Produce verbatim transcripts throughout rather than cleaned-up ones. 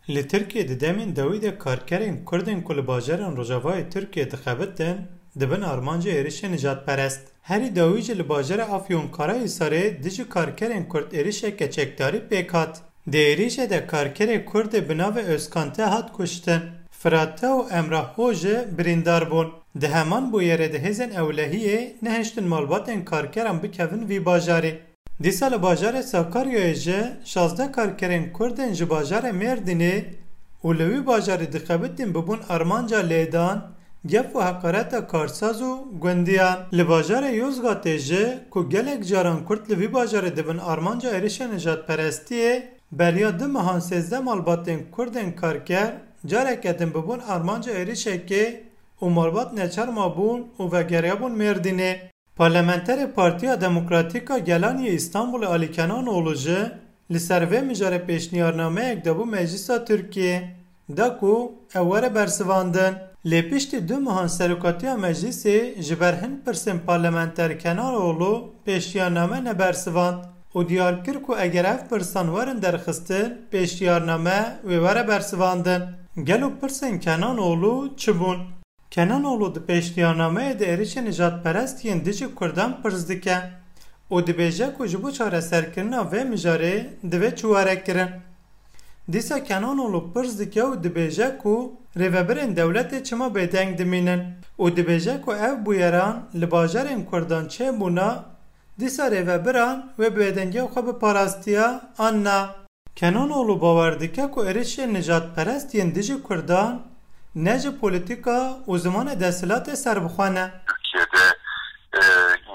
Li Tirkiyê di demên dawî de karkerên Kurd ên ku li bajarên Rojavayê Tirkiyê dixebitin, dibin armanca êrişên nijadperest. Herî dawî jî li bajarê Afyonkarahisarê dijî karkerên Kurd êrişeke çekdarî pêk hat. Di êrişê de karkerê Kurdê bi navê Özkan T hat kuştin. Firat T û Emrah O jî birîndar bûn. Di heman bûyerê de hêzên ewlehiyê nehiştin malbatên karkeran bikevin vî bajarê. Dîsa li bajarê Sakaryayê jî şazdeh karkerên Kurd ên ji bajarê Mêrdînê û li wî bajarî dixebitîn bibûn armanca lêdan, gef û heqareta karsaz û gundiyan. Li bajarê Yozgatê jî ku gelek caran Kurd li vî bajarê dibin armanca êrişên nijadperestiyê, beriya du mehan sêzdeh malbatên Kurd ên karker careke din bibûn armanca êrişekê û malbat neçar mabûn û vegeriyabûn Mêrdînê. Parlamenterê Partiya Demokratîk a Gelan yê Îstanbulê Alî Kenanoğlu jî li ser vê mijarê pêşniyarnameyek dabû Meclisa Tirkiyê, da ku ew were bersivandin. Lê piştî du mehan serokatiya Meclisê ji ber hin pirsên parlamenter Kenanoğlu pêşniyarname nebersivand û diyar kir ku eger ev pirsan werin derxistin, pêşniyarname wê were bersivandin. Gelo pirsên Kenanoğlu çi bûn? Kenanoğlu di pêşniyarnameyê de êrişên nijadperest yên dijî Kurdan pirs dike û dibêje ku ji bo çareserkirina vê mijarê divê çi were kirin. Dîsa Kenanoğlu pirs dike û dibêje ku rêvebirên dewletê çima bêdeng dimînin û dibêje ku ev bûyeran li bajarên Kurdan çêbûna, dîsa rêvebiran wê bêdengiya xwe biparastiya an na. Kenanoğlu bawer dike ku êrişên nijadperest yên dijî Kurdan ne ji polîtîka û zimanê desthilatê serbixwe ne. Türkiye'de e,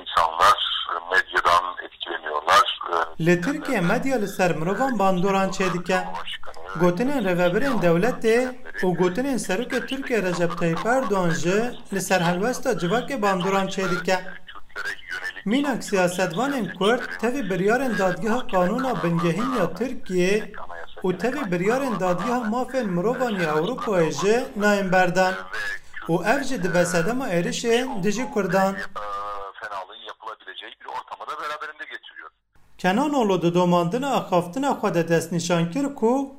insanlar medyadan etkileniyorlar. E, Li Tirkiye medya li ser mirovan bandoran çêdike. Gotinên rêvebirên dewletê û gotinên Serokê Tirkiye Recep Tayyip Erdogan jî li ser helwesta civakê bandoran çêdike. Mînak siyasetvanên Kurd tevî biryarên Dadgeha Qanûna Bingehîn ya Tirkiyê û tevî biryarên Dadgeha Mafên Mirovan ya Ewropayê jî nayên berdan û ev jî dibe sedema êrişên dijî Kurdan. Fenalığı yapılabileceği bir ortamı da beraberinde getiriyor. Kenanoğlu di domandina axaftina xwe de destnîşan kir ku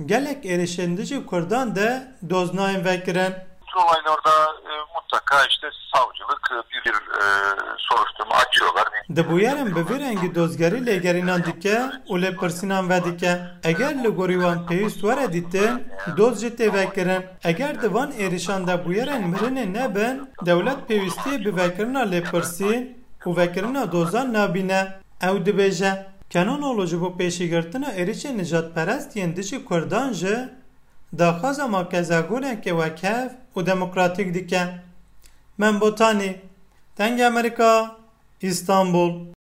gelek êrişên dijî Kurdan de doz nayên vekirin. Bu tür olaylarda e, mutlaka işte savcılık e, bir, bir e, soruşturma açıyorlar. Di bûyerin bi vî rengî dozgerî lêgerînan dike û lêpirsînan vedike. Eger li gorî wan pêwîst were dîtin, doz jî tê vekirin. Eger di van êrişan de bûyerên mirinê nebin, dewlet pêwîstiyê bi vekirina lêpirsîn û vekirina dozan nabîne. Ew dibêje, Kenanoğlu ji bo pêşîgirtina êrişên nijadperest yên dijî Kurdan jî daxwaza makezagoneke wekhev û demokratîk dike. Mem Botanî, Dengê Amerîka, Îstanbul.